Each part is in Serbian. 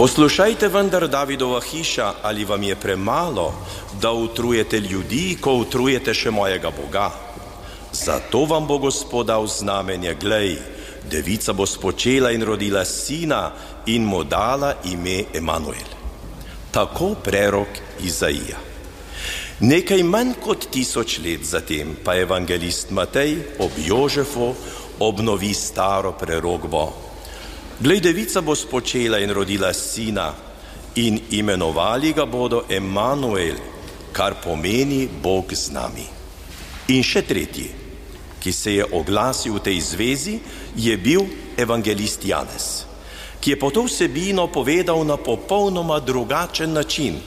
Poslušajte vendar Davidova hiša, ali vam je premalo, da utrujete ljudi, ko utrujete še mojega Boga? Zato vam bo Gospod dal znamenje, glej, devica bo spočela in rodila sina in mu dala ime Emanuel. Tako prerok Izaija. Nekaj manj kot 1000 let zatem pa evangelist Matej ob Jožefu obnovi staro prerokbo. Glej, devica bo spočela in rodila sina in imenovali ga bodo Emanuel, kar pomeni Bog z nami. In še tretji, ki se je oglasil v tej zvezi, je bil evangelist Janez, ki je po to vsebino povedal na popolnoma drugačen način.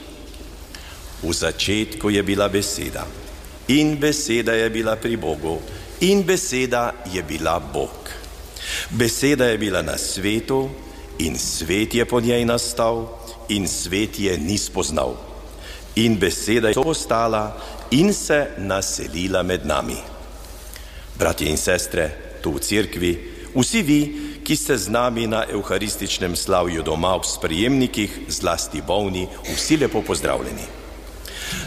V začetku je bila beseda in beseda je bila pri Bogu in beseda je bila Bog. Beseda je bila na svetu in svet je po njej nastal in svet je ni spoznal. In beseda je postala in se naselila med nami. Bratje in sestre, tu v cerkvi, vsi vi, ki ste z nami na evharističnem slavju doma v sprejemnikih, zlasti bolni, vsi lepo pozdravljeni.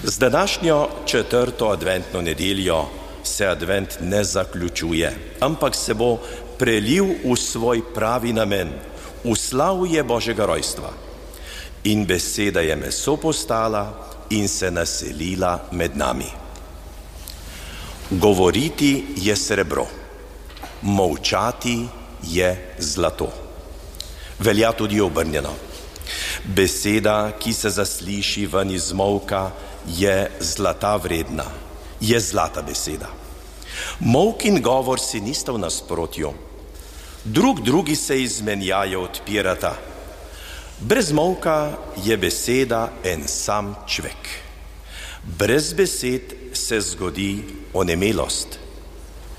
Z današnjo 4. adventno nedeljo se advent ne zaključuje, ampak se bo prelil v svoj pravi namen, v slavje Božjega rojstva. In beseda je meso postala in se naselila med nami. Govoriti je srebro, molčati je zlato. Velja tudi obrnjeno. Beseda, ki se zasliši ven iz molka, je zlata vredna, je zlata beseda. Molk in govor si nista v nasprotju. Drugi se izmenjajo, odpirata. Brez molka je beseda en sam čvek. Brez besed se zgodi onemelost.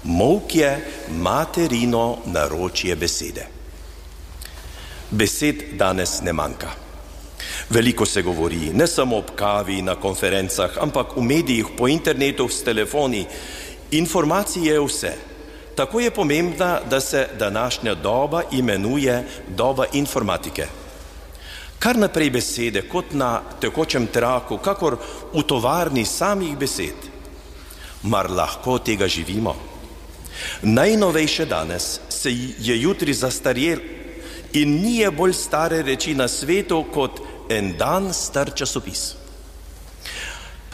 Molk je materino naročje besede. Besed danes ne manjka. Veliko se govori, ne samo ob kavi, na konferencah, ampak v medijih, po internetu, s telefoni. Informacije je vse. Tako je pomembna, da se današnja doba imenuje doba informatike. Kar naprej besede, kot na tekočem traku, kakor v tovarni samih besed. Mar lahko tega živimo? Najnovejše danes se je jutri zastarjel in ni je bolj stare reči na svetu kot en dan star časopis.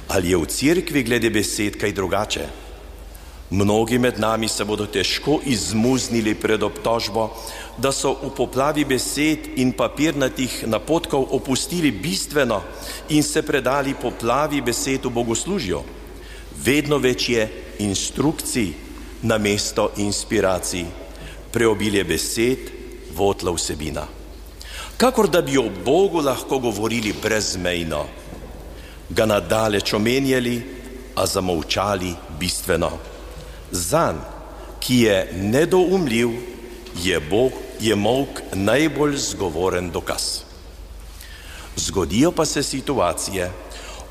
Ali je v cerkvi glede besed kaj drugače? Mnogi med nami se bodo težko izmuznili pred obtožbo, da so v poplavi besed in papirnatih napotkov opustili bistveno in se predali poplavi besed v bogoslužju. Vedno več je instrukcij namesto inspiracij, preobilje besed, votla vsebina. Kakor da bi o Bogu lahko govorili brezmejno, ga nadaleč omenjali, a zamolčali bistveno. Zanj, ki je nedoumljiv, je molk najbolj zgovoren dokaz. Zgodijo pa se situacije,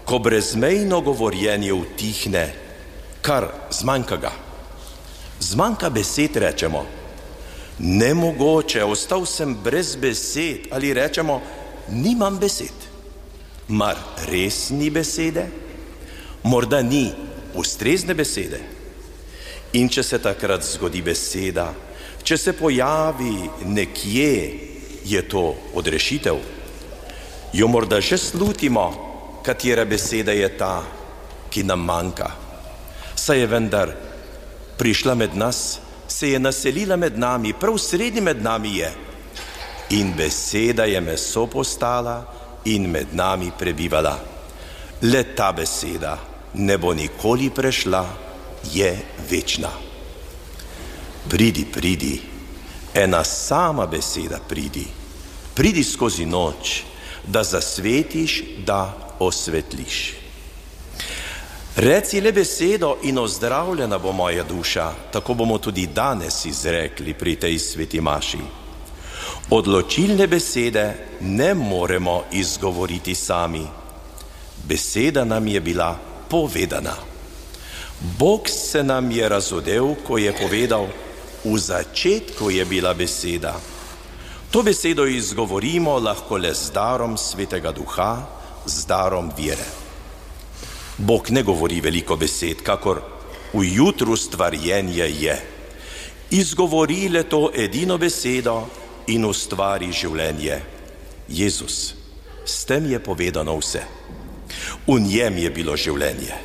ko brezmejno govorjenje utihne, kar zmanjka ga. Zmanjka besed, rečemo. Nemogoče, ostal sem brez besed, ali rečemo, nimam besed. Mar res ni besede? Morda ni ustrezne besede. In če se takrat zgodi beseda, če se pojavi nekje, je to odrešitev. Jo morda že slutimo, katera beseda je ta, ki nam manjka. Saj je vendar prišla med nas, se je naselila med nami, prav sredi med nami je. In beseda je meso postala in med nami prebivala. Le ta beseda ne bo nikoli prešla, je večna. Pridi, pridi, ena sama beseda pridi. Pridi skozi noč, da zasvetiš, da osvetliš. Reci le besedo in ozdravljena bo moja duša, tako bomo tudi danes izrekli pri tej sveti maši. Odločilne besede ne moremo izgovoriti sami. Beseda nam je bila povedana. Bog se nam je razodel, ko je povedal, v začetku je bila beseda. To besedo izgovorimo lahko le z darom Svetega Duha, z darom vere. Bog ne govori veliko besed, kakor v jutru stvarjenje je. Izgovori le to edino besedo in ustvari življenje. Jezus, s tem je povedano vse. V njem je bilo življenje.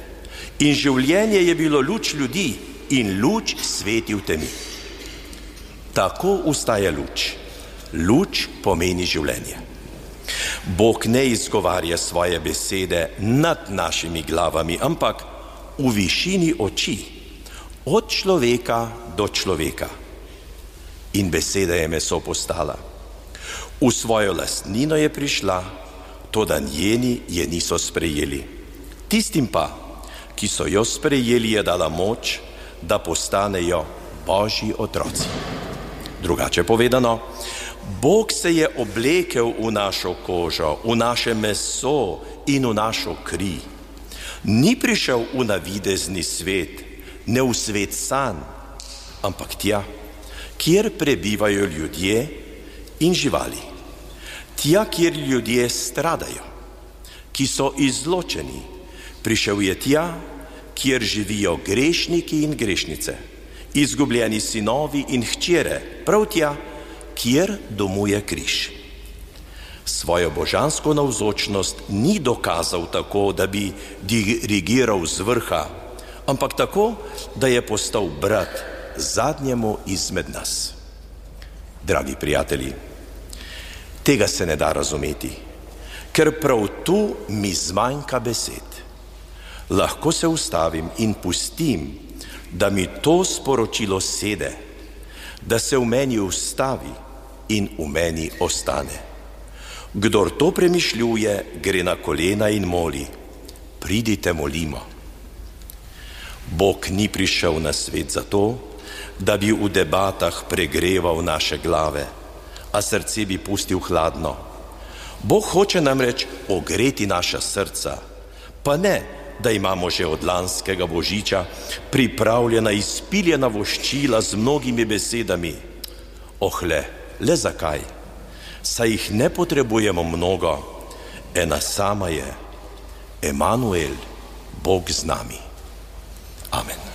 In življenje je bilo luč ljudi in luč sveti v temi. Tako ustaja luč. Luč pomeni življenje. Bog ne izgovarja svoje besede nad našimi glavami, ampak v višini oči, od človeka do človeka. In beseda je meso postala. V svojo lastnino je prišla, toda njeni je niso sprejeli. Tistim pa, ki so jo sprejeli, je dala moč, da postanejo Božji otroci. Drugače povedano, Bog se je oblekel v našo kožo, v naše meso in v našo kri. Ni prišel v navidezni svet, ne v svet sanj, ampak tja, kjer prebivajo ljudje in živali. Tja, kjer ljudje stradajo, ki so izločeni. Prišel je tja, kjer živijo grešniki in grešnice, izgubljeni sinovi in hčere, prav tja, kjer domuje križ. Svojo božansko navzočnost ni dokazal tako, da bi dirigiral z vrha, ampak tako, da je postal brat zadnjemu izmed nas. Dragi prijatelji, tega se ne da razumeti, ker prav tu mi zmanjka besed. Lahko se ustavim in pustim, da mi to sporočilo sede, da se v meni ustavi in v meni ostane. Kdor to premišljuje, gre na kolena in moli: pridite, molimo. Bog ni prišel na svet zato, da bi v debatah pregreval naše glave, a srce bi pustil hladno. Bog hoče namreč ogreti naša srca, pa ne, da imamo že od lanskega božiča pripravljena izpiljena voščila z mnogimi besedami. Le zakaj? Saj jih ne potrebujemo mnogo, ena sama je: Emanuel, Bog z nami. Amen.